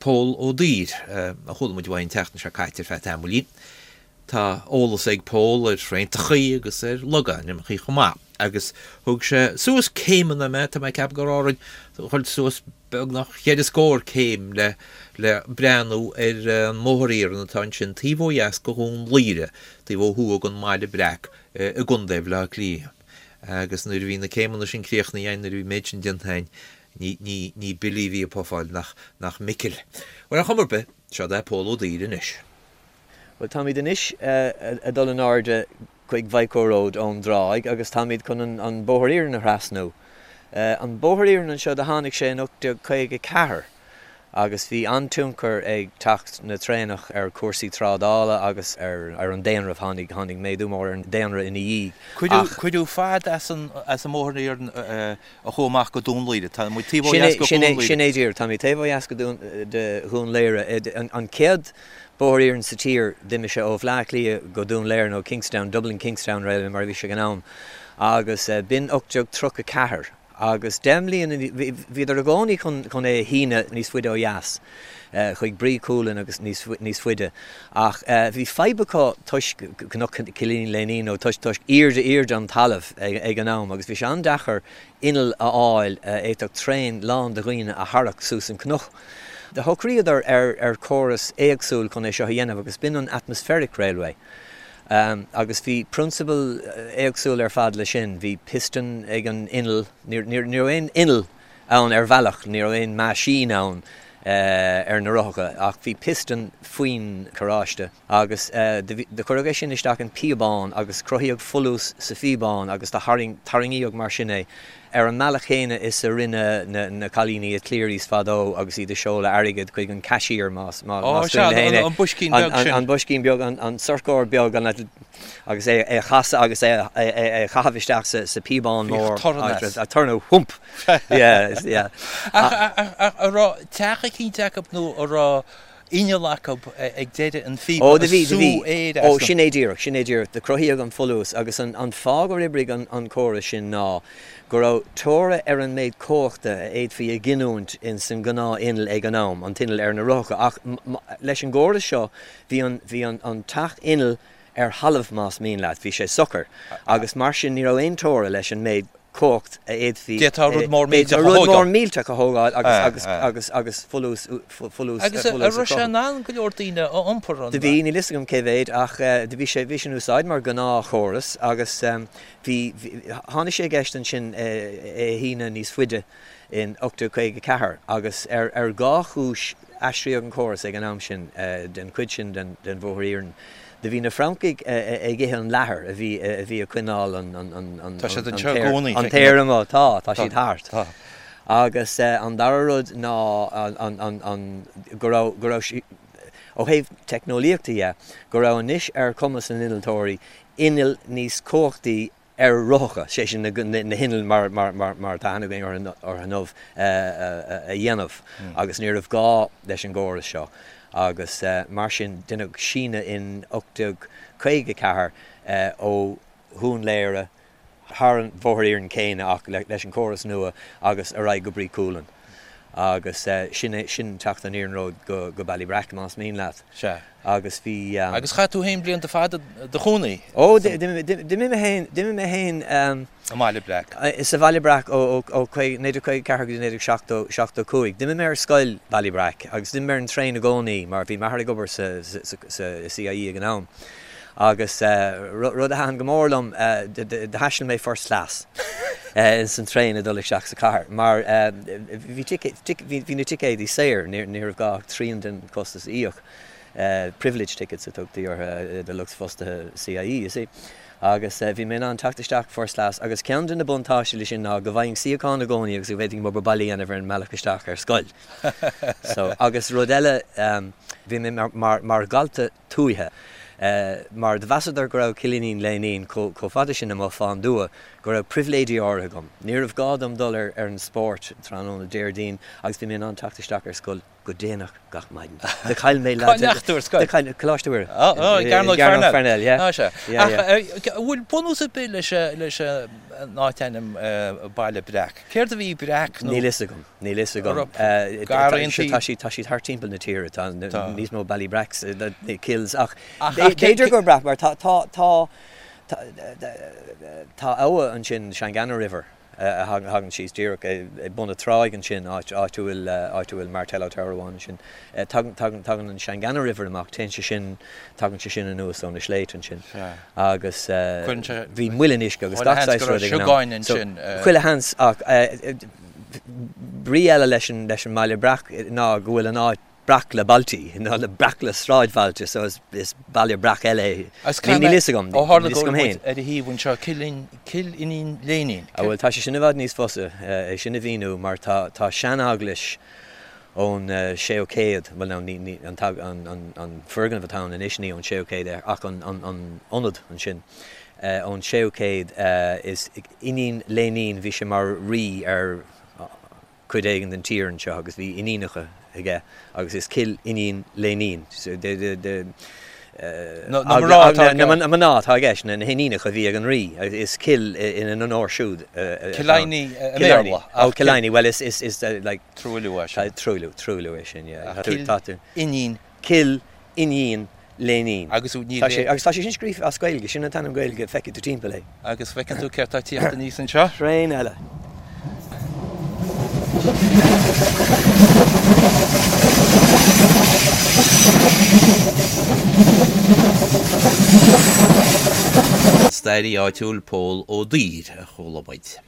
Pól Ó Duibhir, a chuala muid uaidh an tseachtain seo caite ar feadh tamaillín. Tá eolas ag Pól ar thraentachaí agus ar logainmneachaí chomh maith, agus thug sé suas céimeanna mé, tá mé ag ceapadh gur árainn, dhul suas beagnach cheithre scór céim le le breathnú ar an mbóthar iarainn atá ansin taobh ó dheas de Dhún Laoghaire, taobh ó thuaidh den mBaile Breac i gContae Bhaile Átha Cliath. Agus nuair a bhí na céimeanna sin críochnaithe againn, nuair a bhí an méid sin déanta againn, Ní, ní, ní Billy a bhí ag pufáil, nach, nach Micil. Bhuel, ar chuma ar bith, seod é Pól Ó Duibhir anois. Bhuel, táimid anois ag dul in airde chuig Vico Road ón dtráigh agus táimid chun an bóthar iarainn a thrasnú. An bóthar iarainn anseo, do tháinig sé in 1854 agus bhí an-tionchar ag teacht na traenach ar chúrsaí trádála agus ar an daonra. Tháinig, tháinig méadú mór ar an daonra ina dhiaidh ach. Cuireadh fad as an, as an mbóthar iarainn a chuaigh amach go Dún Laoghaire. Tá muid taobh ó dheas de Dhún Laoghaire. Sin é díreach. Táimid taobh ó dheas de Dhún Laoghaire. An chéad bóthar iarainn sa tír, d'imigh sé ó Bhleá Cliath go Dún Laoghaire nó Kingstown, Dublin Kingstown Railway mar a bhí sé ag an am, agus b'in 1834. Agus deich mbliana, bhíodar i gcónaí chun é a shíneadh níos faide ó dheas, chuig Brí Cualann agus níos faide. Ach bhí fadhb acu toisc Cnoc Chillín Léinín nó toisc toisc airde airde an talaimh ag an am agus bhí sé an-deacair inneall a fháil a fhéadfadh traein lán de dhaoine a tharrac suas an cnoc. Do shocraíodar ar ar chóras éagsúil chun é seo a dhéanamh agus b'in an Atmospheric Railway. Agus bhí prionsabal éagsúil ar fad leis sin. Bhí piston ag an inneall, ní raibh aon inneall ann ar bhealach, ní raibh aon meaisín ann ar na rothacha ach bhí piston faoin charráiste agus do cuireadh é sin isteach in píobán agus cruthaíodh folús sa phíobán agus do tarraingíodh mar sin é ar an mbealach chéanna is a rinne na cailíní i Cleary's fadó agus iad ag seoladh airgead chuig an cashier más cuimhin leat é. An boiscín beag sin. An boiscín beag, an sorcóir beag agus é a chasadh agus é a chaitheamh isteach sa phíobán mór. Bhíodh torann as. Torann, thump! Yeah, yeah. Ach an raibh teach eicínt acu nó an raibh inneall acu ag deireadh an phíopa Ó, do bhí, do bhí. sú aeir Ó, sin é díreach, sin é díreach. Do cruthaíodh an folús agus an, an fáth gur oibrigh an, an córas sin ná go raibh teora ar an méid cumhachta a fhéadfaí a ghiniúint ins an gnáth-inneall ag an am, an t-inneall ar na rothacha. Ach leis an gcóras seo bhí an, bhí an, an teach innill ar thalamh más mian leat, bhí sé socair agus mar sin ní raibh aon teora leis an méid cumhacht a fhéadfaí D'fhéadfá rud mór millteach a thógáil. Rud mór millteach a thógáil agus agus agus folús folús Agus an raibh sé in ann go leor daoine a iompar an. Do bhí, níl fhios agam cé mhéid ach do bhí sé bhí sé in úsáid mar ghnáthchóras agus bhí tháinig sé i gceist ansin é a shíneadh níos faide in 1854 agus ar ar dhá chúis Aistríodh an córas ag an am sin den chuid sin den bhóthar iarainn. Do bhí na Francaigh ag ithe an leathair a bhí a bhí ag coinneáil an an Tá siad anseo i gcónaí. an t-aer amuigh. Tá, tá siad thart. Agus an dara rud ná an an an go raibh go raibh sí ó thaobh teicneolaíochta dhe, go raibh anois ar chumas na n-innealtóirí innill níos cumhachtaí ar rothacha, sé sin na hinnill mar atá aithne againn orthu inniu, a dhéanamh agus ní raibh gá leis an gcóras seo agus mar sin deineadh síneadh in 1854 ó Dhún Laoghaire thar an bhóthar iarainn céanna ach leis an chóras nua agus ar aghaidh go Brí Cualann agus sin é sin teacht an iarnróid go Ballybrack más mian leat. Sea. Agus bhí. Agus chaith tú féin blianta fada i do chónaí Ó, d'imigh mé féin, d'imigh mé féin. I mBaile Breac. Sa Bhaile Breac ó 1954 go dtí 1975. D'imigh mé ar scoil Ballybrack agus d'imigh mé ar an traein i gcónaí mar bhí m'athair ag obair sa CIE ag an am. Agus rud a thaitin go mór liom, do thaistil mé first class ins an traein ag dul isteach sa chathair mar bhí bhí na ticéadaí saor, ní raibh gá ach trian den chostas a íoc. Privilege tickets a tugtaí orthu do lucht fostaithe CIE, you see. Agus bhí mé in ann teacht isteach first class agus ceann de na buntáistí leis sin ná go bhfaighinn suíochán i gcónaí agus go bhféadfainn m'obair baile a dhéanamh ar an mbealach isteach ar scoil. So, agus rud eile, bhí mé mar dhalta tuaithe, mar do mheasadar go raibh Cillín Léinín chomh fada sin amuigh fán dtuath go. go raibh pribhléidí áirithe agam. Ní raibh gá dom dul ar ar an spórt tráthnóna Déardaoin agus bhí mé in ann teacht isteach ar scoil go déanach gach maidin. Do chaill mé Cá ndeachaigh tú ar scoil? Do chaill, Coláiste Mhuire. Ó, ó, i gCearnóg Pharnell. Parnell, yeah. Á, sea. Yeah, yeah. Ach an bhfuil bunús ar bith leis leis an áit-ainm Baile Breac? Céard a bhí breac nó? Níl fhios agam. Níl fhios agam. Garraíontaí. Tá siad tá siad thart timpeall na tíre. Tá níos mó Ballybracks, Kills ach b'fhéidir gur breac mar tá tá tá tá abha ansin, Shanganagh River, a thagann síos díreach ag bun na tráigh ansin, áit áit a bhfuil áit a bhfuil Martello Tower amháin ansin. Tagann tagann tagann an Shanganagh River amach, téann sé sin tagann sé sin anuas ó na sléibhte ansin agus bhí muileann uisce agus gach saghas rud ag an am. So chuile sheans ach brí eile leis an leis an mBaile Breac ná go bhfuil an áit breac le bailtí, nó le breac le sráidbhailte, so is is baile breac eile é. Agus Níl níl fhios agam, ó tharla níl go fhios agam bhfuil féin. muid ar a thaobh anseo, Cill Cill Iníon Léinín. Ah bhuel tá sé sin i bhfad níos fusa é sin a mhíniú mar tá tá seaneaglais ón séú céad, bhuel now ní ní an an an an foirgneamh atá ann anois ní ón séú céad é ach an an an ionad ansin ón séú céad is Iníon Léinín, bhí sé mar rí ar cuid éigin den tír anseo agus bhí iníonacha aige agus is Cill Iníon Léinín Na mná atá i gceist. Na mná atá i gceist, na hiníonacha a bhí ag an rí, is cill ina n-onóir siúd atá ann. Killiney i mBéarla. Ó, Killiney, bhuel is, is, is like. Truailliú é sin. Truailliú, truailliú é sin, yeah. Cill Iníon. Cill Iníon Léinín. Agus ní Tá sé, agus tá sé sin scríofa as Gaeilge, sin an t-ainm Gaeilge, feicfidh tú timpeall é. Agus feiceann tú céard tá ag tíocht aníos anseo? Traein eile. Staraí áitiúil Pól Ó Duibhir a chuala muid.